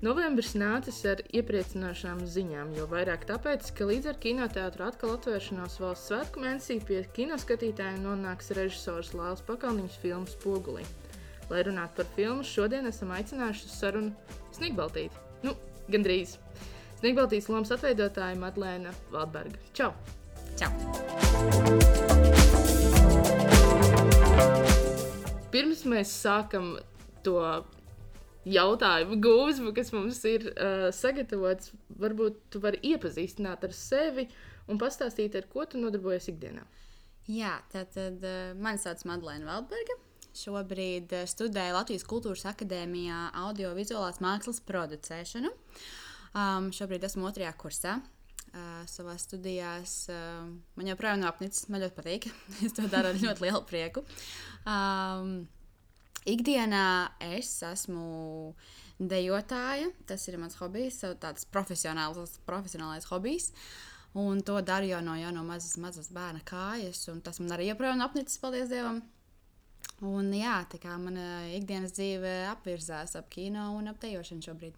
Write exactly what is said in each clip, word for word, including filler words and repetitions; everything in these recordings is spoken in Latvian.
Novembris nācis ar iepriecinošām ziņām, jo vairāk tāpēc, ka līdz ar kinoteātru atkal atvēršanos valsts svētku mēnesī pie kinoskatītājiem nonāks režisors Lailes Pakalniņas filmu Spogulī. Lai runātu par filmu, šodien esam aicinājuši uz sarunu Sniegbaltīti. Nu, gandrīz. Sniegbaltītes lomas atveidotāja Madlēna Valdberga. Čau! Čau! Pirms mēs sākam to jautājumu gūzmu, kas mums ir uh, sagatavots, varbūt tu vari iepazīstināt ar sevi un pastāstīt, ar ko tu nodarbojies ikdienā. Jā, tātad uh, mani sauc Madlēna Valdberga. Šobrīd uh, studēju Latvijas Kultūras akadēmijā audiovizuālās mākslas producēšanu. Um, šobrīd esmu otrajā kursā. Uh, savās studijās uh, man joprojām nav apnicis, man ļoti patīk. Es to daru ar ļoti lielu prieku. Um, Ikdienā es esmu dejotāja, tas ir mans hobijs, tāds profesionāls, profesionālais hobijs, un to daru jau no, jau no mazas, mazas bērna kājas, un tas man arī joprojām apnicis, paldies Dievam. Un jā, tā kā mana ikdienas dzīve apvirzās ap kino un ap dejošanu šobrīd.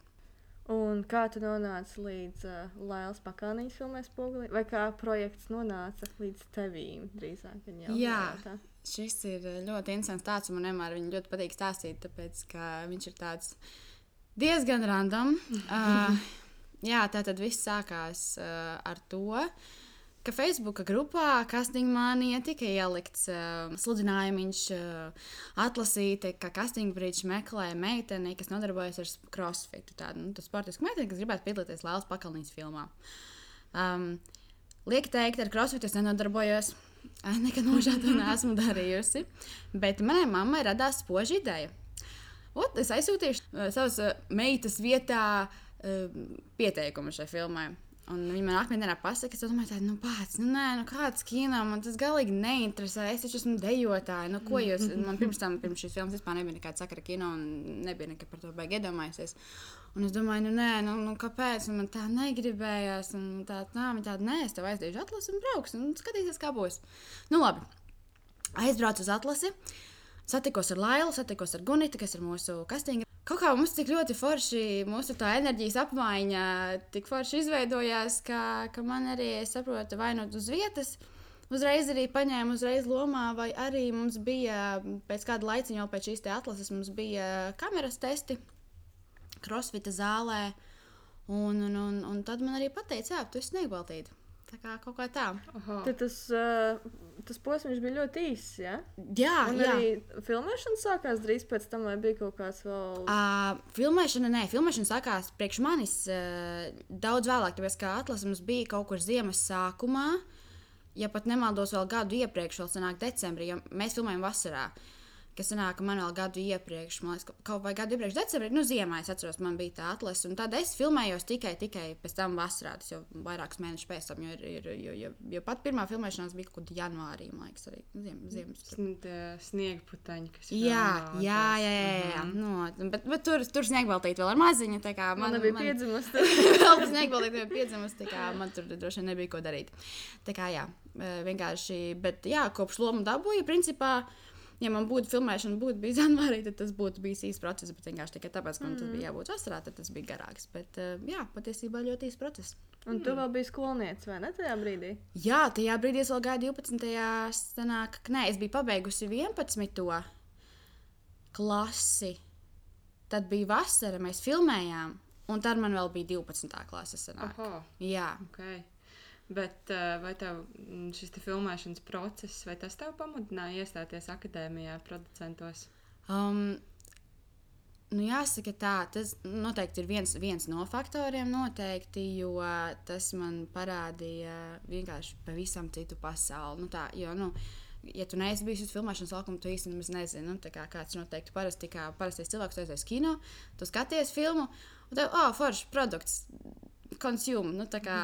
Un kā tu nonāci līdz uh, Lailes Pakalniņas filmai Spogulī, vai kā projekts nonāca līdz tevīm drīzāk? Jau Jā. Tā? Šis ir ļoti interesants tāds, un man vienmēr viņu ļoti patīk stāstīt, tāpēc, ka viņš ir tāds diezgan random. uh, jā, tātad viss sākās uh, ar to, ka Facebooka grupā Casting Mania tika ielikts uh, sludinājumiņš uh, atlasīt, ka Casting Bridge meklē meiteni, kas nodarbojas ar crossfitu, tādu nu, sportisku meiteni, kas gribētu piedalīties Lailes Pakalniņas filmā. Um, lieki teikt, ar crossfitu es nenodarbojos. Nekad nožēlu to neesmu darījusi, bet manai mammai radās spoža ideja. Ot, es aizsūtīšu uh, savas uh, meitas vietā uh, pieteikumu šai filmai. Un viņa man akmēnē pasaka, es domāju, tādu, nu pēc, nu nē, nu kāds kino, man tas galīgi neinteresē, es taču esmu dejotāja, nu ko jūs, man pirms tam, pirms šīs filmas vispār nebija nekāda sakara kino un nebija nekad par to baigi iedomājusies. Un es domāju, nu nē, nu, nu kāpēc, un man tā negribējās, un tā, nā, man tāda, nē, es tev aizdīšu atlasi un brauks, un skatīsies, kā būs. Nu labi, aizbraucu uz atlasi, satikos ar Lailu, satikos ar Guniti, kas ir mūsu kastinga. Kaut kā mums tik ļoti forši, mūsu tā enerģijas apmaiņa tik forši izveidojās, ka, ka man arī, es saprotu, vai nu uz vietas, uzreiz arī paņēmu uzreiz lomā, vai arī mums bija, pēc kāda laiciņa jau pēc šīs te atlases, mums bija kameras testi, crossfita zālē, un, un, un, un tad man arī pateica, jā, tu esi Sniegbaltīte. Tā kā kaut kā tā. Tad tas, uh, tas posms bija ļoti īss, ja? Jā, un jā. arī filmēšana sākās drīz pēc tam, vai bija kaut kāds vēl... Uh, filmēšana, nē, filmēšana sākās priekš manis uh, daudz vēlāk, tāpēc, kā atlases mums bija kaut kur ziemas sākumā, ja pat nemaldos vēl gadu iepriekš, vēl sanāk decembrī, jo mēs filmējam vasarā. Kas sanāk, man vēl gadu iepriekš, man liekas, kaut vai gadu iepriekš decembrī, nu ziemā, es atceros, man bija tā atlase, un tad es filmējos tikai, tikai pēc tam vasarā, tas jau vairākus mēnešus pēc tam, jo, ir, jo, jo, jo pat pirmā filmēšanās bija kaut kur janvārī, man liekas, arī ziem, ziemas. Sniegputeņi, kas ir jā, jā, jā, jā, jā, jā. No, bet, bet tur, tur Sniegbaltīte vēl ar maziņu, tā kā man... Man nebija piedzimusi. Vēl Sniegbaltīte nebija piedzimusi, tā kā man tur droši vien nebija ko darīt. Tā kā jā, vienkārši, bet jā, kopš lomu dabūju, principā, ja man būtu filmēšana, būtu bijis janvārī, tad tas būtu bijis īsts process, bet vienkārši tikai tāpēc, ka man tas bija jābūt vasarā, tad tas bija garāks. Bet jā, patiesībā ļoti īsts process. Un tu vēl biji skolniece, vai ne tajā brīdī? Jā, tajā brīdī es vēl gāju divpadsmitajā sanāk, nē, es biju pabeigusi vienpadsmito klasi. Tad bija vasara, mēs filmējām, un tad man vēl bija divpadsmitā klase sanāk. Oho. Jā. Okay. Bet vai tev šis te filmēšanas process, vai tas tev pamudināja iestāties akadēmijā producentos? Um, nu jāsaka tā, tas noteikti ir viens, viens no faktoriem noteikti, jo tas man parādīja vienkārši pavisam citu pasauli. Nu tā, jo, nu, ja tu neesi bijis uz filmēšanas laukuma, tu īsti nemaz nezini, nu, tā kā kāds noteikti parasti, kā parastais cilvēks, tu aizies kino, tu skaties filmu, un tev, ā, oh, foršs produkts, consume, nu tā kā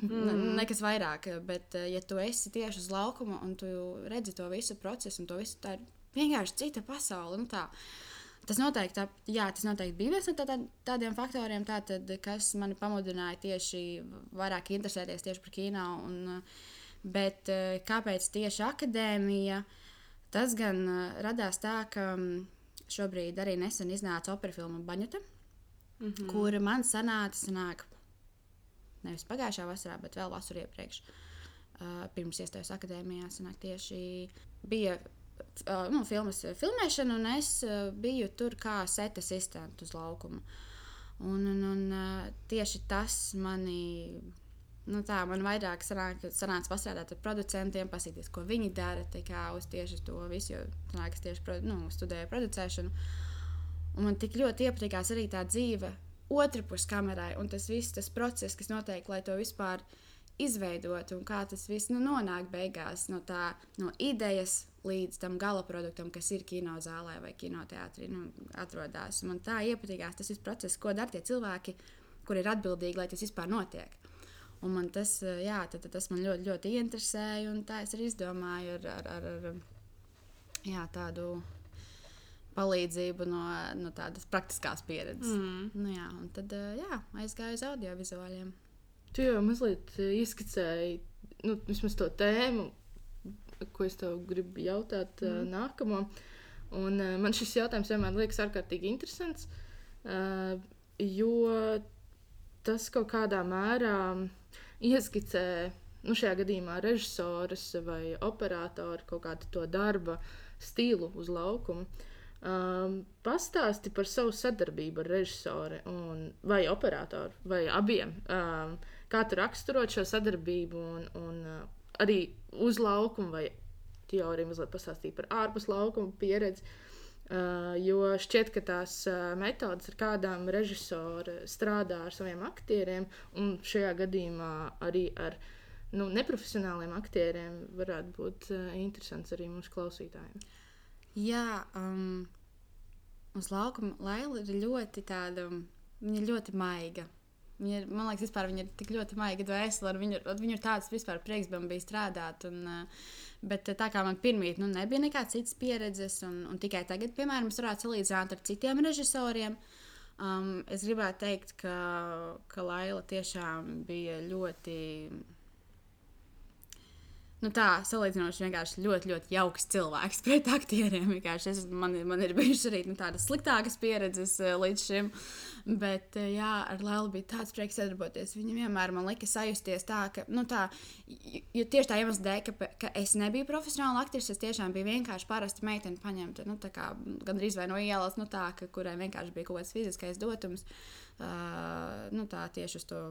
ne, nekas vairāk, bet ja tu esi tieši uz laukuma un tu redzi to visu procesu un to visu, tā ir vienkārši cita pasaule, nu tā. Tas noteikti, tā, jā, tas noteikti bija viens no tā, tā, tādiem faktoriem, tātad, kas mani pamudināja tieši vairāk interesēties tieši par kino, un, bet kāpēc tieši akadēmija, tas gan radās tā, ka šobrīd arī nesen iznāca opera filma Baņuta. mm-hmm. kura man sanāca, sanāk, nevis pagājušā vasarā, bet vēl vasarā iepriekš. Uh, pirms iestājos akadēmijā, sanāk, tieši bija uh, nu, filmas filmēšana, un es uh, biju tur kā set asistent uz laukuma. Un, un, un uh, tieši tas mani, nu tā, man vairāk sanāk, sanāca pastrādāt ar producentiem, pasīties, ko viņi dara, tā kā uz tieši to visu, jo sanāk, es tieši nu, studēju producēšanu. Un man tik ļoti iepatikās arī tā dzīve otrpus kamerai, un tas viss, tas process, kas notiek, lai to vispār izveidot, un kā tas viss nu, nonāk beigās no, tā, no idejas līdz tam gala produktam, kas ir kinozālē vai kinoteātrī, nu, atrodās. Man tā iepatikās tas viss process, ko dara tie cilvēki, kuri ir atbildīgi, lai tas vispār notiek. Un man tas, jā, tad, tad tas man ļoti, ļoti interesēja, un tā es arī izdomāju ar, ar, ar, ar jā, tādu palīdzību no, no tādas praktiskās pieredzes. Mm. Nu, jā, un tad jā, aizgāju uz audiovizuāļiem. Tu jau mazliet izskicēji, nu, vismaz to tēmu, ko es tev gribu jautāt mm. nākamo. Un man šis jautājums vienmēr liekas ārkārtīgi interesants, jo tas kaut kādā mērā ieskicē, nu, šajā gadījumā režisoras vai operātori kaut kādu to darba stilu uz laukumu. Um, pastāsti par savu sadarbību ar režisori un, vai operātoru, vai abiem. Um, kā tu raksturot šo sadarbību un, un uh, arī uz laukumu, vai teoriju mazliet pastāstīt par ārpus laukuma pieredzi, uh, jo šķiet, ka tās uh, metodas, ar kādām režisori strādā ar saviem aktieriem, un šajā gadījumā arī ar nu, neprofesionāliem aktieriem, varētu būt uh, interesants arī mūsu klausītājiem. Jā, um, uz laukuma Laila ir ļoti tāda, viņa ir ļoti maiga. Viņa ir, man liekas, vispār viņa ir tik ļoti maiga dvēsele, ar viņu, ar viņu ir tāds vispār prieks man bija strādāt. Un, bet tā kā man pirmīt, nu, nebija nekāds cits pieredzes, un, un tikai tagad, piemēram, es varētu salīdzināt ar citiem režisoriem. Um, es gribētu teikt, ka, ka Laila tiešām bija ļoti... Nu tā, salīdzinoši vienkārši ļoti, ļoti jauks cilvēks pret aktieriem. Es, man, man ir bijušas arī nu, tādas sliktākas pieredzes uh, līdz šim. Bet, uh, jā, ar Lailu bija tāds prieks sadarboties. Viņa vienmēr man lika sajusties tā, ka, nu tā, jo tieši tā iemesla dēļ, ka, ka es nebiju profesionāla aktrise, es tiešām biju vienkārši parasta meitene paņemta, nu tā kā gandrīz vai no ielas, nu tā, ka, kurai vienkārši bija kaut kāds fiziskais dotums, uh, nu tā tieši uz to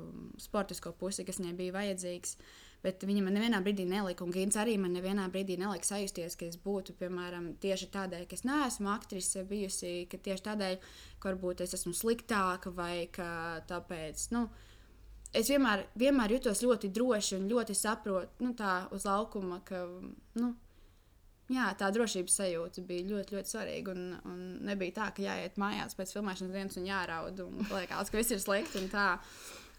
sportisko pusi, kas viņai bija vajadzīgs. Bet viņa man nevienā brīdī nelika, un Gins arī man nevienā brīdī nelika sajusties, ka es būtu, piemēram, tieši tādēļ, ka es neesmu aktrise bijusi, ka tieši tādēļ, ka varbūt es esmu sliktāka vai ka tāpēc, nu, es vienmēr, vienmēr jutos ļoti droši un ļoti saprotu, nu, tā uz laukuma, ka, nu, jā, tā drošības sajūta bija ļoti, ļoti svarīga, un, un nebija tā, ka jāiet mājās pēc filmēšanas dienas un jāraud, un liekas, ka viss ir slikti un tā.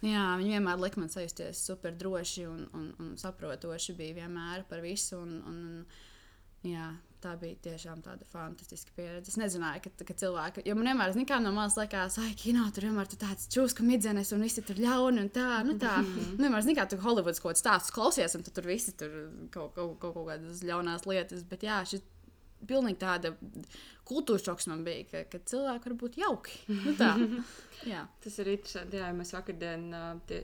Jā, viņi vienmēr lika man sajusties super droši un, un, un saprotoši bija vienmēr par visu. Un, un, jā, tā bija tiešām tāda fantastiska pieredze. Es nezināju, ka, ka cilvēki, jo man vienmēr nekā no malas liekas, ai, kino, tur vienmēr tu tāds čūska midzenes un visi tur ļauni un tā, nu tā. Mm-hmm. Vienmēr nekā tu Hollywoods kaut kāds stāstus klausies un tu tur visi tur kaut, kaut, kaut, kaut kādas ļaunās lietas. Bet jā, šis pilnīgi tāda kultūras šoks man bija, ka, ka cilvēki var būt jauki. Nu tā. Jā. Tas ir interesanti, jā, mēs vakardien, tie,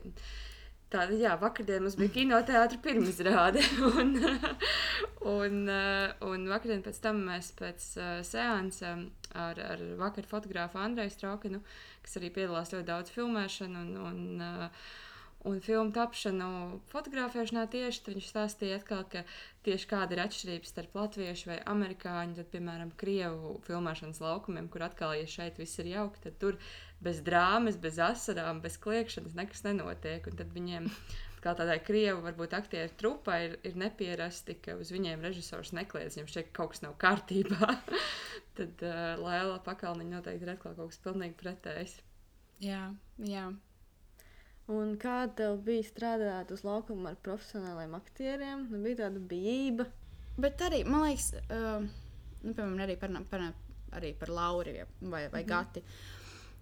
tāda, jā, vakardien mums bija kinoteātra pirmizrāde, un, un, un vakardien pēc tam mēs pēc seansa ar, ar vakar fotogrāfu Andreju Straukinu, kas arī piedalās ļoti daudz filmēšanu un, un, un filmu tapšanu fotografēšanā tieši, tad viņš stāstīja atkal, ka tieši kāda ir atšķirības starp latviešu vai amerikāņu, tad, piemēram, krievu filmēšanas laukumiem, kur atkal, ja šeit viss ir jauki, tad tur bez drāmas, bez asarām, bez kliekšanas nekas nenotiek. Un tad viņiem, kā tādai krievu, varbūt aktieru trupai, ir, ir nepierasti, ka uz viņiem režisors nekliedz, viņiem šķiet, ka kaut kas nav kārtībā. Tad uh, Laila Pakalniņa noteikti ir atkal kaut kas pilnīgi pretējs. Jā, jā. Un kā tev bija strādāt uz laukuma ar profesionāliem aktieriem? Nu, bija tāda bijība. Bet arī, man liekas, uh, nu, piemēram, arī par, par, arī par Lauri vai, vai mm-hmm. Gati.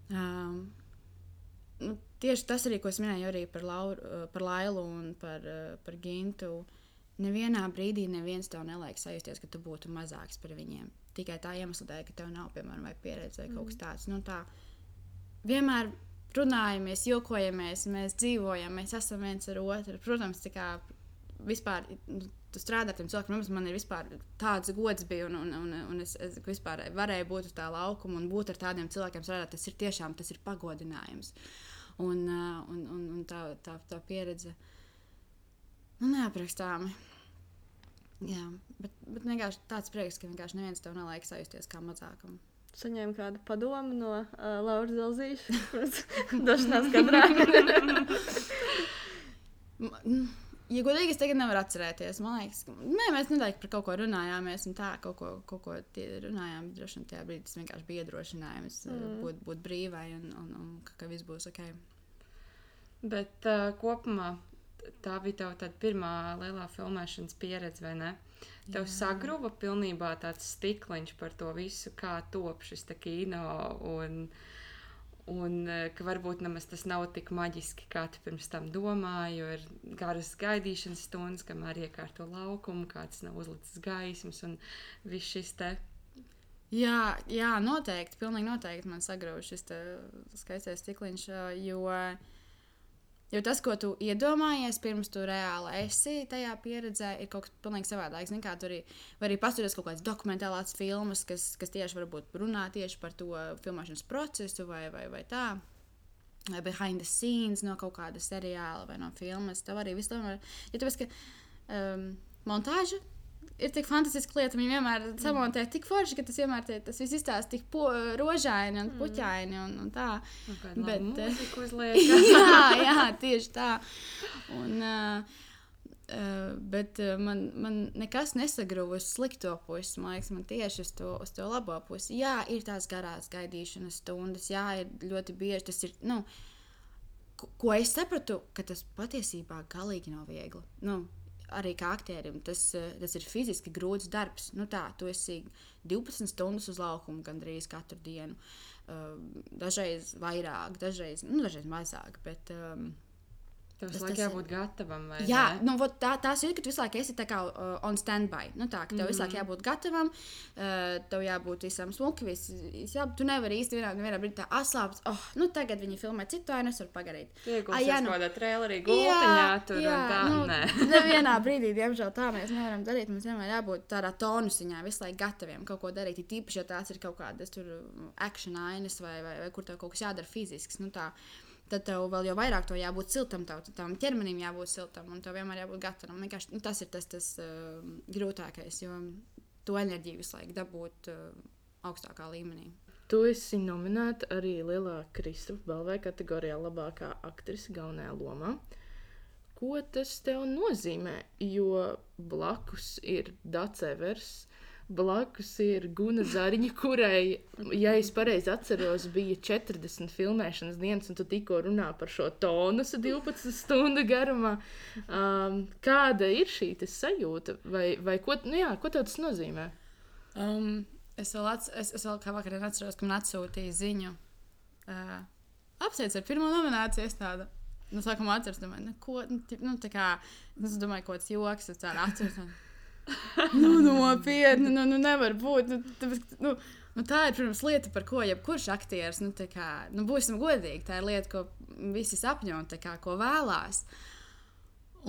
Um, nu, tieši tas arī, ko es minēju arī par, Lauru, par Lailu un par, par Gintu. Nevienā brīdī neviens tev neliek sajusties, ka tu būtu mazāks par viņiem. Tikai tā iemesla dēļ, ka tev nav, piemēram, vai pieredze vai kaut kas tāds. Nu, tā, vienmēr runājamies, jokojamies, mēs dzīvojam, mēs esam viens ar otru. Protams, tā kā vispār tu strādā ar tiem cilvēkiem, man ir vispār tāds gods bija, un, un, un, un es, es vispār varēju būt uz tā laukuma un būt ar tādiem cilvēkiem strādāt. Tas ir tiešām, tas ir pagodinājums. Un, un, un, un tā, tā, tā pieredze, nu, neaprakstāmi. Jā, bet, bet vienkārši tāds prieks, ka vienkārši neviens tev neliek sajusties kā mazākam. Saņēmu kādu padomu no uh, Lauras Zelzīša, protams, došanās kadrā. Ja godīgi, es tagad nevaru atcerēties. Man liekas, ka nē, mēs nedaudz par kaut ko runājāmies, un tā kaut ko, kaut ko runājām. Droši vien tajā brīdī tas vienkārši bija iedrošinājums mm. būt, būt brīvai un, un, un ka viss būs ok. Bet uh, kopumā tā bija tava tāda pirmā lielā filmēšanas pieredze, vai ne? Tev Jā. Sagruva pilnībā tāds stikliņš par to visu, kā top šis te kino, un, un ka varbūt nemaz tas nav tik maģiski, kā tu pirms tam domāji, jo ir garas gaidīšanas stundas, kamēr iekārto laukumu, kāds nav uzlicis gaismas, un viss šis te... Jā, jā, noteikti, pilnīgi noteikti man sagruva šis te skaistais stikliņš, jo... Jo tas, ko tu iedomājies, pirms tu reāli esi tajā pieredzē, ir kaut kas pilnīgi savādāks. Kā tu arī, vai arī paskatīties kaut kādas dokumentālās filmas, kas, kas tieši varbūt runā tieši par to filmēšanas procesu vai, vai, vai tā. Vai behind the scenes no kaut kāda seriāla vai no filmas. Tev arī viss tomēr... Ja tu esi, ka um, montāža ir tik fantastiska lieta, viņi vienmēr mm. samontē tik forši, ka tas vienmēr tie, tas viss izstāsta tik po, rožaini un puķaini un, un tā. Un kādu bet, mūziku uzliek. jā, jā, tieši tā. Un, uh, uh, bet uh, man, man nekas nesagruva uz slikto pusi, man liekas, man tieši uz to, uz to labo pusi. Jā, ir tās garās gaidīšanas stundas, jā, ir ļoti bieži, tas ir, nu, ko, ko es sapratu, ka tas patiesībā galīgi nav viegli. Nu, arī kā aktierim, tas, tas ir fiziski grūts darbs. Nu tā, tu esi divpadsmit stundas uz laukumu gandrīz katru dienu. Uh, dažreiz vairāk, dažreiz, nu, dažreiz mazāk, bet... Um, Tev visu laiku jābūt gatavam, vai jā, ne? Nu, tā, tās ir, ka tu visu laiku esi tā kā uh, on standby. Nu tā, ka tev mm-hmm. visu laiku jābūt gatavam, uh, tev jābūt visam smuki, viss, jā, tu nevari īsti vienā, vienā brīdī tā atslāpt, oh, nu tagad viņi filmē citu, vai es varu pagarīt. Tu iegulsies nu, kādā trailerī gultiņā, tur jā, un tā, nu, nē. Nevienā brīdī, diemžēl, tā mēs nevaram darīt, mums vienmēr jābūt tādā tonusiņā, visu laiku gataviem kaut ko darīt, ir tīpaši, ja tās ir kaut kādas tur action ainas vai, vai, vai kur tev kaut kas jādara fizisks, nu tā. Tad tev vēl jau vairāk to jābūt siltam, tev tam ķermenim jābūt siltam, un tev vienmēr jābūt gatavam. Vienkārši nu, tas ir tas, tas uh, grūtākais, jo to enerģiju visu laiku dabūt uh, augstākā līmenī. Tu esi nominēta arī Lielā Kristofa balvai kategorijā labākā aktrise galvenajā lomā. Ko tas tev nozīmē? Jo blakus ir Dace Evers, blakus ir Guna Zariņa, kurai, ja es pareizi atceros, bija četrdesmit filmēšanas dienas, un tu tikko runā par šo tonusu divpadsmit stundu garumā. Um, kāda ir šī sajūta? Vai, vai ko, nu jā, ko tev tas nozīmē? Um, es, vēl ats, es, es vēl kā vakarā atceros, ka man atsūtīja ziņu. Uh, apsveic ar pirmo nomināciju, es tādu. Nu, sākumā atceros, domāju, nu, ko, nu, nu, tā kā, es domāju, kaut kāds joks, es tādu atceros. nu, nopietni, nu, nu, nevar būt. Nu, tāpēc, nu, nu, tā ir, protams, lieta, par ko jebkurš aktieris, nu, tā kā, nu, būsim godīgi, tā ir lieta, ko visi sapņo, tā kā, ko vēlās.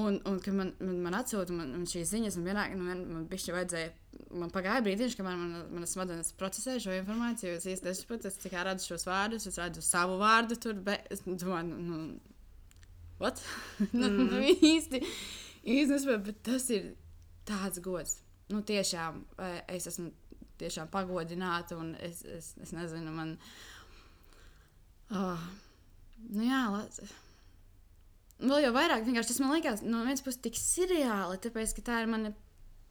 Un, un kad man, man, man atsūta man, man šīs ziņas, un vienā, nu, man, man bišķi vajadzēja, man pagāja brīdiņš, kamēr man, man smadzenes procesēja šo informāciju, es īsti nesaprotu, es tikai redzu šos vārdus, es redzu savu vārdu tur, bet es domāju, nu, nu, what? nu, mm. nu, īsti, īsti nesaprotu, bet tas ir tāds gods. Nu, tiešām, es esmu tiešām pagodināta, un es, es, es nezinu, man... Oh, nu jā, lāc... Vēl jau vairāk, vienkārši tas man liekas, no vienas puses tik seriāli, tāpēc, ka tā ir mana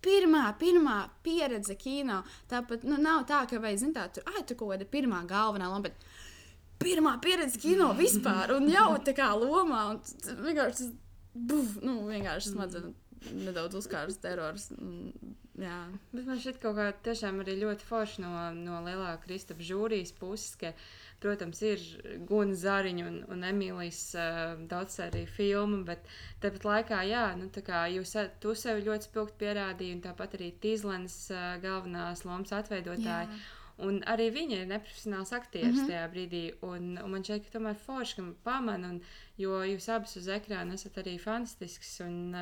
pirmā, pirmā pieredze kino. Tāpat, nu, nav tā, ka vai, zin tā, tur, ai, tu kaut kāda pirmā galvenā loma, bet pirmā pieredze kino vispār, un jau tā kā lomā, un vienkārši tas, buf, nu, vienkārši smadzen nedaudz uzkārs terors, jā. Bet man šķiet kaut kā tiešām arī ļoti forši no, no Lielā Kristofa žūrijas puses, ka, protams, ir Guna Zariņa un, un Emīlijas uh, daudzsēriju filma, bet tāpat laikā, jā, nu tā kā jūs, tu sevi ļoti spilgti pierādīji, un tāpat arī Tīzlenes uh, galvenās lomas atveidotāji. Jā. Un arī viņa ir neprofesionāls aktieris mm-hmm. tajā brīdī. Un, un man šķiet, ka tomēr forši, ka pamana, un, jo jūs abas uz ekrāna esat arī fantastisks. Un,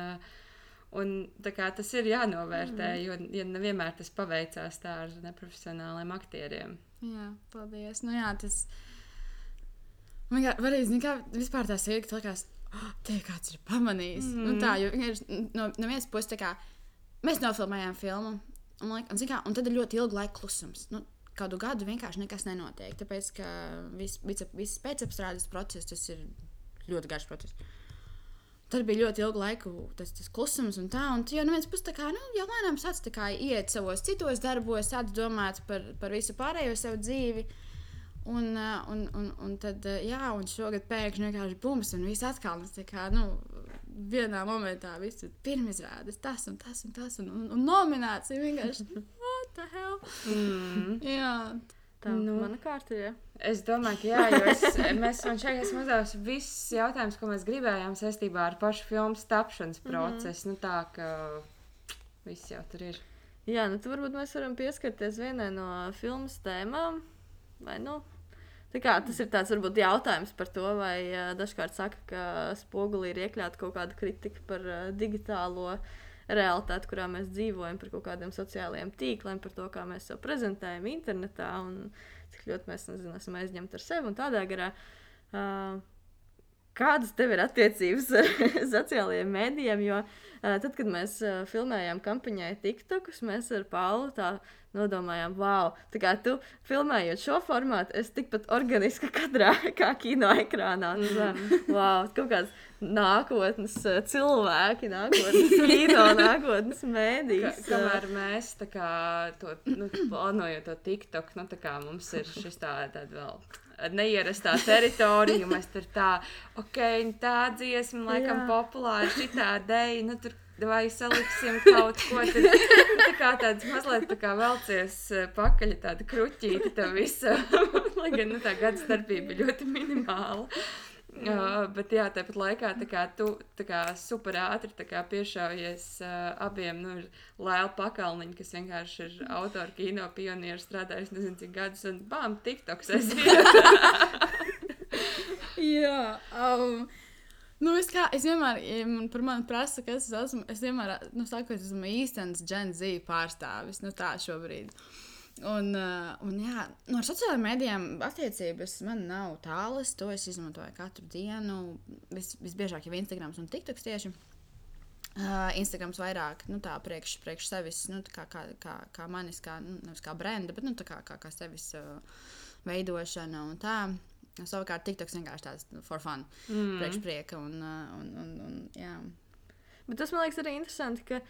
un tā kā tas ir jānovērtē, mm. jo ja nevienmēr tas paveicās tā ar neprofesionāliem aktieriem. Jā, paldies. Nu jā, tas... Man kā, varēs, nekā, vispār tā sīka, tā likās, oh, tie kāds ir pamanījis. Mm. Un tā, jo no, no vienas puses tā kā, mēs nofilmējām filmu, un, un, un, kā, un tad ir ļoti ilgu laiku klusums. Nu, kādu gadu vienkārši nekas nenotiek, tāpēc, ka viss vis, vis pēcapstrādes process, tas ir ļoti garš process. Tad bija ļoti ilgu laiku tas, tas klusums un tā, un tu jau neviens puses tā kā, nu, jau lēnām sāc tā kā iet savos citos darbos, sāc domāt par, par visu pārējo savu dzīvi, un, un, un, un tad, jā, un šogad pēkšņi vienkārši bums, un viss atkal, tā kā, nu, vienā momentā viss ir pirmizrādes, tas un tas un tas, un, un, un nominācija vienkārši, what the hell? Mm. Jā. Tā nu, mana kārta ir, ja? Es domāju, ka jā, jo es, mēs man šeit esmu uzdevusi visus jautājumus, ko mēs gribējām saistībā ar pašu filmas tapšanas procesu. Mm-hmm. Nu tā, ka viss jau tur ir. Jā, nu tu varbūt mēs varam pieskarties vienai no filmas tēmām, vai nu? Tā kā tas ir tāds varbūt jautājums par to, vai uh, dažkārt saka, ka spogulī ir iekļauta kaut kāda kritika par uh, digitālo realitāti, kurā mēs dzīvojam, par kaut kādiem sociālajiem tīkliem, par to, kā mēs sev prezentējam internetā un cik ļoti mēs, nezinu, esam aizņemti ar sevi un tādā garā. Uh, kādas tev ir attiecības ar sociālajiem mēdījiem, jo uh, tad, kad mēs uh, filmējām kampaņai TikTokus, mēs ar Paulu tā nodomājām, wow, tā kā tu filmējot šo formātu, es tikpat organiska kadrā kā kino ekrānā. Mm. Wow, kaut kāds nākotnes cilvēki, nākotnes kino, nākotnes mēdījis. Ka, kamēr mēs tā kā to, nu, plānojot to TikTok, nu tā kā mums ir šis tā, tāda vēl neierastā teritorija, mēs tur tā, ok, tā dziesma, laikam, jā. Populāra, šitā deja, nu tur vai saliksim kaut ko, tad tā kā tāds mazliet tā kā velcies pakaļ tāda kruķīta tā visa, lai gan nu, tā gada starpība ļoti minimāla. Uh, bet jā, tāpat laikā tā kā tu tā kā super ātri tā kā piešaujies uh, abiem, nu, ir Laila Pakalniņa, kas vienkārši ir autora kino pionieru strādājusi nezinu cik gadus, un bām, TikToks esi. Jā, um, nu es kā, es vienmēr, ja man par mani prasa, kas es esmu, es vienmēr, nu, saku, es esmu īstenis Gen Z pārstāvis, nu tā šobrīd. Un, uh, un jā, no ar sociālajiem mēdījiem attiecības man nav tālas, to es izmantoju katru dienu, vis, visbiežāk jau Instagrams un TikToks tieši. Uh, Instagrams vairāk, nu tā, priekš, priekš sevis, nu tā kā, kā, kā, kā manis, kā, nu, nevis kā brenda, bet, nu tā kā, kā, kā sevis uh, veidošana un tā. Savukārt TikToks vienkārši tāds for fun, mm. priekš prieka un, uh, un, un, un, jā. Bet tas man liekas arī interesanti, ka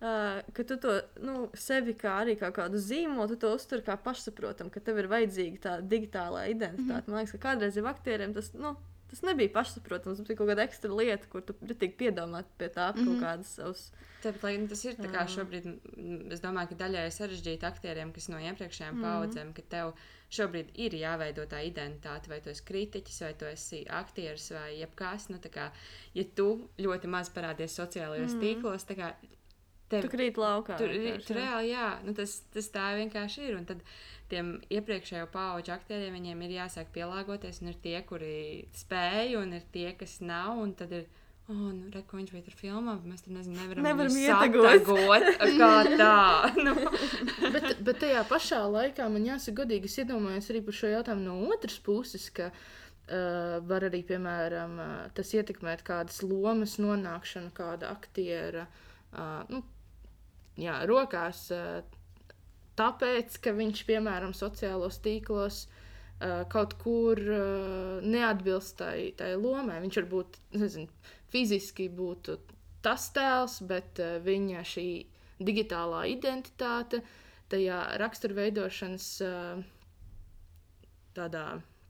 Uh, ka tu to, nu, sevi kā arī kā kādu zīmolu, tu to uztver kā pašsaprotam, ka tev ir vajadzīga tā digitālā identitāte. Mm-hmm. Man liekas, ka kādreiz jau aktieriem tas, nu, tas nebija pašsaprotams, tas bija kaut kāda ekstra lieta, kur tu ritīgi piedomāt pie tā mm-hmm. kaut kādas savas. Tāpat, lai tas ir tā kā šobrīd, es domāju, ka daļai sarežģīti aktieriem, kas no iepriekšējām mm-hmm. paudzēm, ka tev šobrīd ir jāveido tā identitāte, vai tu esi kritiķis, vai tu esi aktieris, vai jebkās, nu, tā kā, ja tu ļoti maz parādies sociālajos mm-hmm. tīklos, tā kā Tev, tu krīt laukā. Tur, tur reāli, jā. Nu, tas, tas tā vienkārši ir. Un tad tiem iepriekšējo pauģu aktieriem viņiem ir jāsāk pielāgoties. Un ir tie, kuri spēj, un ir tie, kas nav. Un tad ir, oh, nu, re, ko viņš bija tur filmā, mēs tur, nezinu, nevaram, nevaram satagot. Kā tā. Nu. bet, bet tajā pašā laikā man jāsaka godīgi, es iedomājos arī par šo jautājumu no otras puses, ka uh, var arī, piemēram, uh, tas ietekmēt kādas lomas nonākšanu, kāda aktiera, uh, nu, jā, rokās, tāpēc, ka viņš, piemēram, sociālos tīklos kaut kur neatbilst tai, tai lomai. Viņš varbūt, nezinu, fiziski būtu tas tēls, bet viņa šī digitālā identitāte tajā raksturveidošanas tādā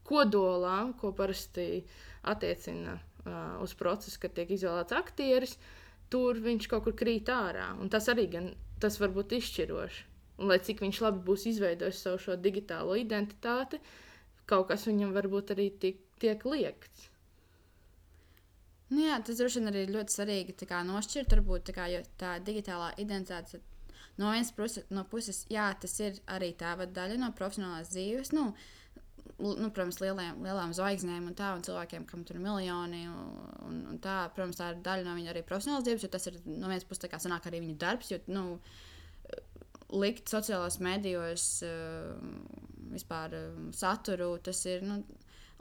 kodolā, ko parasti attiecina uz procesu, kad tiek izvēlēts aktieris, tur viņš kaut kur krīt ārā. Un tas arī gan, tas var būt izšķiroši. Un lai cik viņš labi būs izveidojis savu šo digitālo identitāti, kaut kas viņam varbūt arī tiek, tiek liekts. Nu jā, tas droši vien arī ļoti svarīgi tā kā nošķirt, varbūt tā kā, jo tā digitālā identitāte no vienas puses, no puses, jā, tas ir arī tā daļa no profesionālās dzīves, nu, nu protams, lieliem, lielām zvaigznēm un tā, un cilvēkiem, kam tur ir miljoni, un, un tā, protams, tā ir daļa no viņa arī profesionālās dzīves, jo tas ir, no vienas puses, tā kā sanāk arī viņa darbs, jo, nu, likt sociālās medijos vispār saturu, tas ir, nu,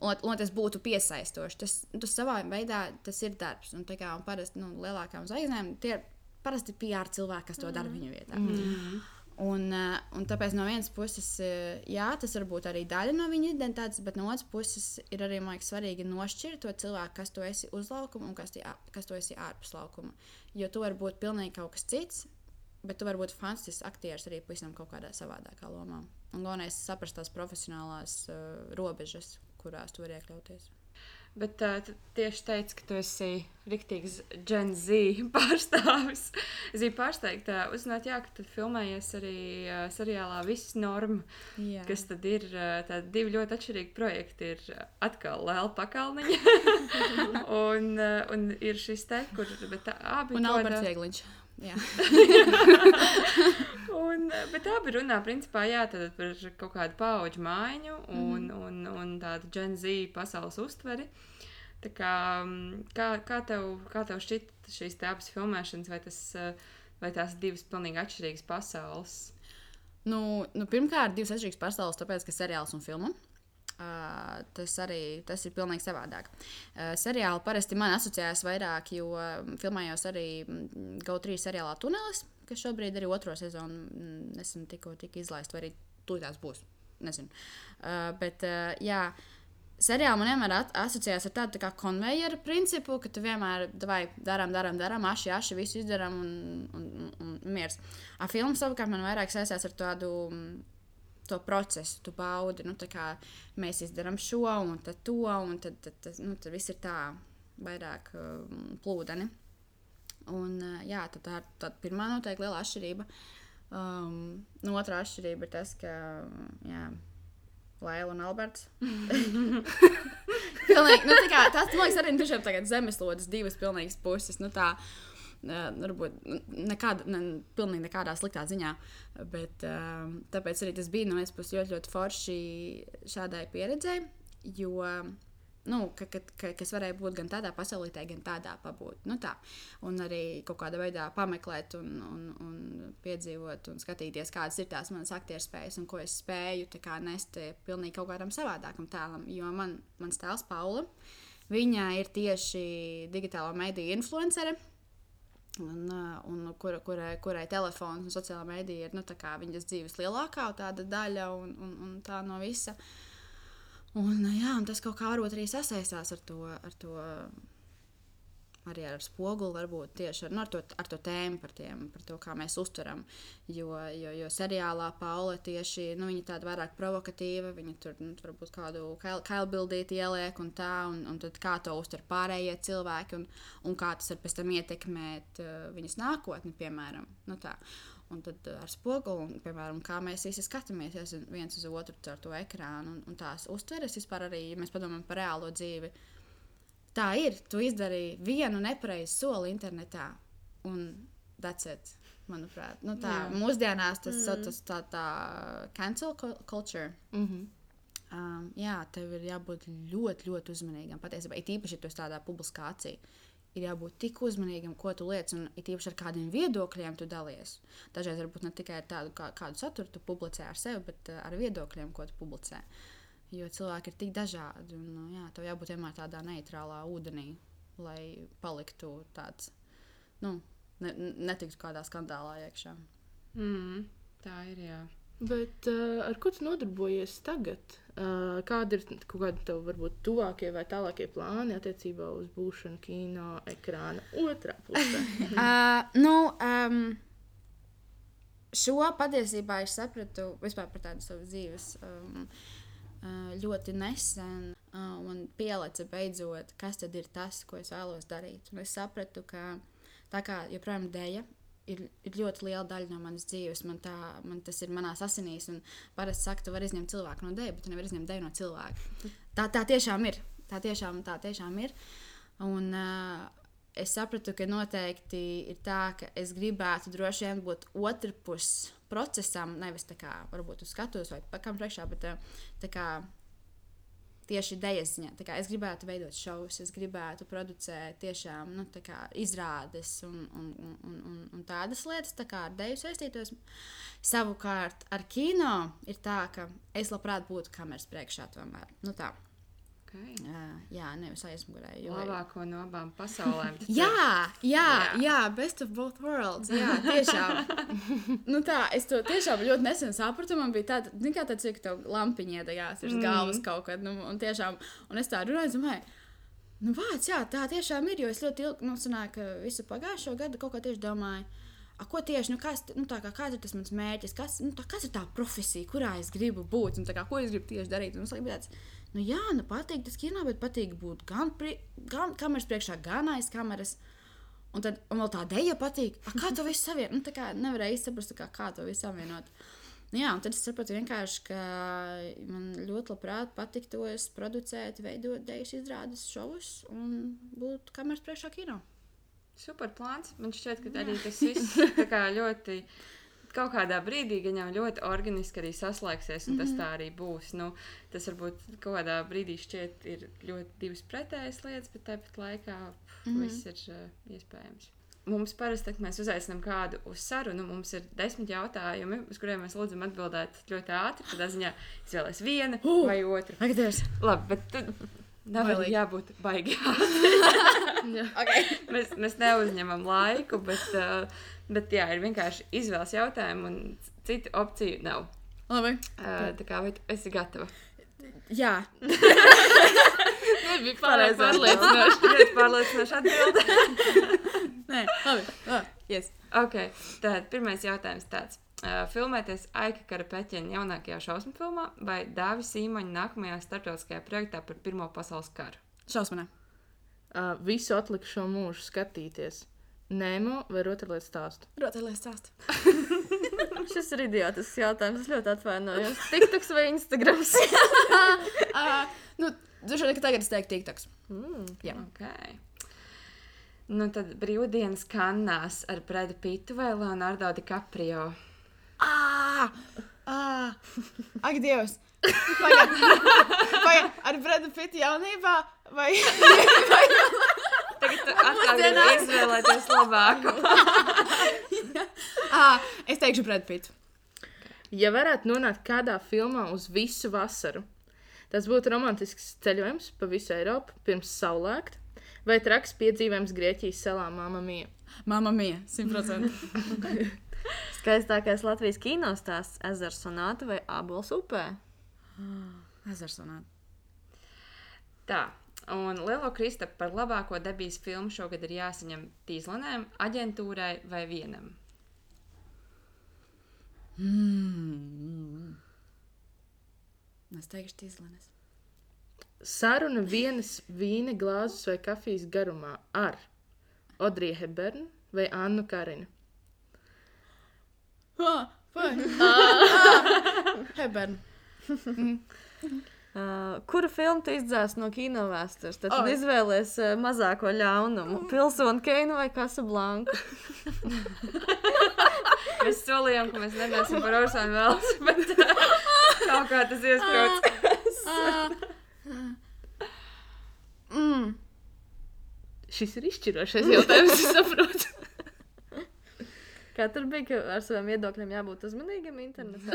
Un, un tas būtu piesaistoši. Tas, tas savā veidā tas ir darbs. Un, kā, un parasti nu, lielākām zvaigznēm tie ir parasti P R cilvēki, kas to mm. dara viņu vietā. Mm. Un, un tāpēc no vienas puses, jā, tas var būt arī daļa no viņa identitātes, bet no otras puses ir arī liekas, svarīgi nošķirt to cilvēku, kas tu esi uz laukuma un kas, tie, kas tu esi ārpus laukuma. Jo tu vari būt pilnīgi kaut kas cits, bet tu vari būt fantastisks aktieris arī pavisam kaut kādā savādākā lomā. Un galvenais saprast tās profesionālās uh, robežas, kurās tu vari iekļauties. Bet uh, tu tieši teici, ka tu esi riktīgs Gen Z pārstāvis. Es biju pārsteigta uzzināt, jā, ka tu filmējies arī uh, seriālā Viss norma, jā. Kas tad ir uh, tādi divi ļoti atšķirīgi projekti. Ir atkal Lēla Pakalniņa un, uh, un ir šis te, kur... Bet tā, abi un kodā... Alberts Viegliņš. Jā. un, bet abi runā principā jā, par kaut kādu paudžu maiņu un, mm. un, un tādu Gen Z pasaules uztveri. Tā kā, kā, kā, tev, kā tev šķiet šīs te abas filmēšanas, vai, tas, vai tās divas pilnīgi atšķirīgas pasaules? Nu, nu, pirmkārt, divas atšķirīgas pasaules, tāpēc, ka seriāls un filma. Uh, tas arī tas ir pilnīgi savādāk. Uh, seriāli parasti man asociējās vairāk, jo filmējos arī Go trīs seriālā Tunelis, kas šobrīd arī otro sezonu nesen tikko tika izlaist, vai arī tūlītās būs. Nezinu. Uh, bet, uh, jā, seriāli man vienmēr asociējās ar tādu tā kā konvejeru principu, ka tu vienmēr vai darām, darām, darām, aši, aši, visu izdarām un, un, un, un miers. A filmu savukārt man vairāk saistās ar tādu to procesu, tu baudi, nu, tā kā mēs izdarām šo un tad to, un tad, tad, tad, nu, tad viss ir tā vairāk um, plūdeni. Un, uh, jā, tad tā ir tā pirmā noteikti liela atšķirība. Um, nu, otrā atšķirība ir tas, ka, jā, Lēla un Alberts. Pilnīgi, nu, tā kā, tas, man liekas, arī tiešām tagad zemeslodes divas pilnīgas puses, nu, tā, Uh, varbūt nekāda, ne, pilnīgi nekādā sliktā ziņā, bet uh, tāpēc arī tas bija no vienas puses ļoti, ļoti forši šādai pieredzei, jo, nu, ka, ka, ka, kas varēja būt gan tādā pasaulītē, gan tādā pabūt, nu tā, un arī kaut kādā veidā pameklēt un, un, un piedzīvot un skatīties, kādas ir tās manas aktieru spējas un ko es spēju tā kā nest pilnīgi kaut kādam savādākam tēlam, jo man, mans tēls Paula, viņa ir tieši digitālo mediju influencere, Un, un kura, kurai, kurai telefons un sociālā mēdīja ir nu, viņas dzīves lielākā tāda daļa un, un, un tā no visa. Un, jā, un tas kaut kā varbūt arī sasaistās ar to, ar to arī ar spoguli, varbūt tieši ar, nu, ar, to, ar to tēmu, par, tiem, par to, kā mēs uztveram. Jo, jo, jo seriālā Paula tieši, nu, viņa tāda vairāk provokatīva, viņa tur, nu, varbūt kādu kailbildīti ieliek un tā, un, un tad kā to uztver pārējie cilvēki, un, un kā tas var pēc tam ietekmēt uh, viņas nākotni, piemēram, nu tā. Un tad ar spoguli, un, piemēram, kā mēs visi skatāmies viens uz otru caur to ekrānu, un, un tās uztveres vispār arī, ja mēs padomājam par reālo dzīvi, tā ir, tu izdarīji vienu nepareizu soli internetā, un that's it, manuprāt. Nu tā, jā. Mūsdienās tas mm. tas tā, tā cancel culture. Mm-hmm. Um, jā, tev ir jābūt ļoti, ļoti uzmanīgam. Patiesībā, it īpaši, ja tu esi tādā publiskācija, ir jābūt tik uzmanīgam, ko tu liec, un it īpaši ar kādiem viedokļiem tu dalies. Dažreiz varbūt ne tikai ar tādu, kā, kādu saturu tu publicē ar sevi, bet ar viedokļiem, ko tu publicē. Jo cilvēki ir tik dažādi, un jā, tev jābūt vienmēr tādā neitrālā ūdenī, lai paliktu tāds, nu, ne, netiktu kādā skandālā iekšā. Mm, tā ir, jā. Bet uh, ar ko tu nodarbojies tagad? Uh, kādi ir kaut kādi tev varbūt tuvākie vai tālākie plāni attiecībā uz būšanu kino ekrāna otrā pusē? uh, nu, um, šo patiesībā es sapratu vispār par tādu savu dzīves um, ļoti nesen un pielica beidzot, kas tad ir tas, ko es vēlos darīt. Un es sapratu, ka tā kā joprojām deja ir, ir ļoti liela daļa no manas dzīves, man, tā, man tas ir manās asinīs, un parasti saka, tu vari izņemt cilvēku no deja, bet tu nevari izņemt deju no cilvēka. Tā, tā tiešām ir. Tā tiešām, tā tiešām ir. Un, es sapratu, ka noteikti ir tā, ka es gribētu droši vien būt otrpus procesam, nevis tā kā varbūt uz skatuves vai pakam priekšā, bet tā kā tieši idejas ziņā. Tā kā es gribētu veidot šovus, es gribētu producēt tiešām nu, tā kā izrādes un, un, un, un, un tādas lietas, tā kā ar deju saistītos. Savukārt ar kino ir tā, ka es labprāt būtu kameras priekšā tomēr. Nu tā. Okay. Jā, jā, nevis aizmugurē. Jo... Labāko no abām pasaulēm. jā, jā, jā, jā, best of both worlds. Jā, tiešām. nu tā, es to tiešām ļoti nesen sapratu. Man bija tāda, zin kā tāds, ka tev lampiņa iedegās virs mm. galvas kaut kad. Nu, un tiešām, un es tā runāju, domāju, nu vāc, jā, tā tiešām ir, jo es ļoti ilgi, nu, sanāk, visu pagājušo gadu kaut kā tieši domāju, a, ko tieši, nu, kas, nu, tā kā, kāds ir tas mans mērķis, kas, nu, tā, kas ir tā profesija, kurā es gribu būt, un tā kā, ko es gribu tieši darīt. Un es laikam tāds, nu jā, nu patīk tas kino, bet patīk būt gan, pri, gan kameras priekšā, gan aiz kameras. Un tad un vēl tā deja patīk. A, kā to visu savienot? Nu, tā kā nevarēja izsaprast, kā, kā to visu savienot. Nu, jā, un tad es sapratu vienkārši, ka man ļoti labprāt patiktos producēt, veidot dejas izrādes šovus un būt kameras priekšā kino. Super plāns. Man šķiet, ka arī tas viss tā kā ļoti... Kaut kādā brīdī gan jau ļoti organiski arī saslēgsies, un mm-hmm. tas tā arī būs. Nu, tas varbūt kaut kādā brīdī šķiet ir ļoti divas pretējas lietas, bet tāpat laikā pf, mm-hmm. viss ir uh, iespējams. Mums parasti, kad mēs uzaicinām kādu uz sarunu, mums ir desmit jautājumi, uz kuriem mēs lūdzam atbildēt ļoti ātri. Tādā ziņā izvēlēs vienu uh, vai otru. Agadies. Labi, bet tad nav arī jābūt baigi ātri. okay. mēs, mēs neuzņemam laiku, bet... Uh, Bet jā, ir vienkārši izvēles jautājumi un citu opciju nav. Labi. Uh, tā kā, vai tu esi gatava? Jā. Nebija pārāk pārliecinoši. Ļoti pārliecinoši atbildi. Nē, labi. labi. Yes. Ok, tad pirmais jautājums tāds. Uh, filmēties Aika Karapeķina jaunākajā šausmu filmā vai Dāvi Sīmaņa nākamajā starptautiskajā projektā par Pirmo pasaules karu? Šausmanē. Uh, visu atlikušo mūžu skatīties. Nemo vai rotaļlietu stāstu? Rotaļlietu stāstu. Šis ir idiotisks jautājums. Es ļoti atvainojos. TikToks vai Instagrams? uh, nu, droši vien, ka tagad es teiktu TikToks. Mm, jā. Ok. Nu, tad brīvdienas Kannās ar Bradu Pittu vai Leonardo DiCaprio? Ā! Ā! Ak, Dievs! Pagaid! Pagaid! Ar Bradu Pittu jaunībā? Vai... vai... Tagad tu atkal gribi izvēlēties labāku. ah, es teikšu Brad Pittu. Ja varētu nonākt kādā filmā uz visu vasaru, tas būtu romantisks ceļojums pa visu Eiropu pirms saulēkta vai traks piedzīvojums Grieķijas salā Mamma Mia? Mamma Mia, simt procenti. Skaistākais Latvijas kinostāsts Ezers sonāta vai Ābols upē? Ezers sonāta. Tā. Un Lielo Kristapu par labāko debijas filmu šogad ir jāsaņem Tīzlanēm, aģentūrai vai vienam? Mm. Es teikšu Tīzlanes. Saruna vienas vīna glāzes vai kafijas garumā ar Audrey Hepburn vai Annu Karinu? Ah, vai? ah, Hepburn. Uh, kuru filmu tu izdzēsi no kino vēstures? Tad oh. izvēlies uh, mazāko ļaunumu. Pilsonu Keinu vai Casablanku? Mēs solījām, ka mēs nedomāsim par Orsonu Velsu, bet uh, kaut kā tas iesprūts. mm. Šis ir izšķirošais jautājums, es saprotu. Kā tur bija, ka ar saviem viedokļiem jābūt uzmanīgam internetā?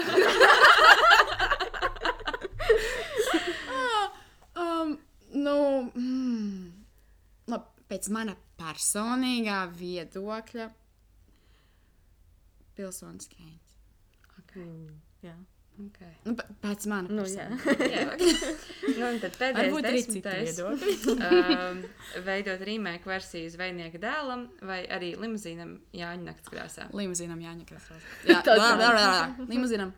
um, nu, mm, labi, pēc mana personīgā viedokļa Pilsonis Keins. Okay. Mm, jā. Okay. Nu, p- pēc mana Nu, personīgā. jā. Nu, un tad pēdējais Varbūt arī citi desmitais. viedokļi. um, veidot remake versiju Zvejnieka dēlam vai arī limuzīnam Jāņa naktskrāsā. Limuzīnam Jāņa krāsā. Jā, Tā lā, kā- lā, lā, lā. Limuzīnam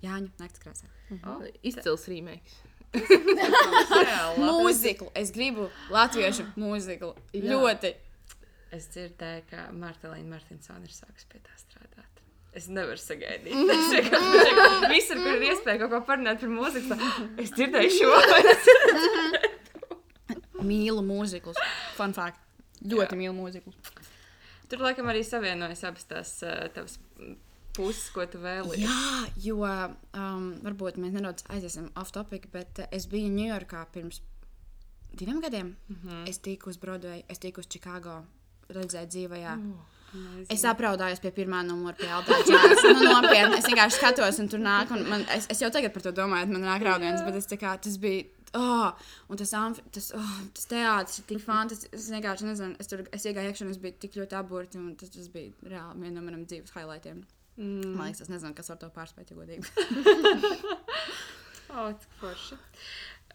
Jāņa naktskrāsā. Oh, Izcils remakes. Mūziklu. Es gribu latviešu mūziklu. Jā. Ļoti. Es dzirdēju, ka Martelīna Martinsona ir sākusi pie tā strādāt. Es nevaru sagaidīt. Es vienkārši visur, kur ir iespēja kaut ko parunāt par mūziku, tā, es dzirdēju šo. Mīlu mūziklus. Fun fact. ļoti mīlu mūziku. Tur, laikam, arī savienojas abas tās uh, tavas puses, ko tu vēlies. Jā, jo um, varbūt mēs nedaudz aiziesim off topic, bet uh, es biju Ņujorkā pirms diviem gadiem. Mm-hmm. Es tiku uz Broadway, es tiku uz Chicago, redzēju dzīvajā. Mm. Es apraudājos pie pirmā numura, pie Aldā džāz. Nu, nopietni, es vienkārši skatos, un tur nāk, un man, es, es jau tagad par to domāju, man nāk raudiens, bet es tā kā, tas bija, oh, un tas, amfi, tas, oh, tas teātris ir tik fantastisks, es vienkārši nezinu, es tur, es iegāju iekšā, un es biju tik ļoti aburti, un tas, tas bija reāli viena no manam dzīves highlightiem. Mm. Man liekas, es nezinu, kas var to pārspēt, ja godīgi. O, cik forši.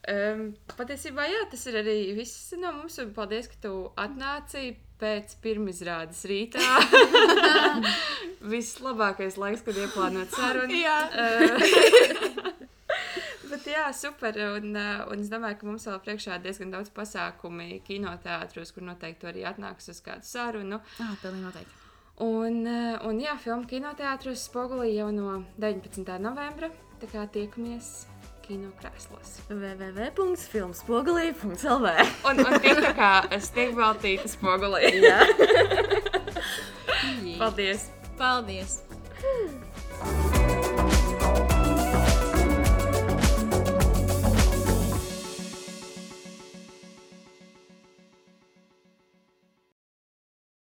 Um, patiesībā, jā, tas ir arī viss no mums, un paldies, ka tu atnāci pēc pirmizrādes rītā. Vislabākais laiks, kad ieplānot sarunu. Jā. Uh, bet jā, super, un, un es domāju, ka mums vēl priekšā diezgan daudz pasākumi kinoteātros, kur noteikti arī atnāks uz kādu sarunu. Ah, pilnīgi noteikti. Un, un jā, filmu kinoteātros Spogulī jau no deviņpadsmitā novembra, tā kā tiekamies kino krēslos. w w w punkts filmspogulī punkts l v Un, un tiek tā kā stiegbaltīta Spogulī. Jā. Paldies! Paldies!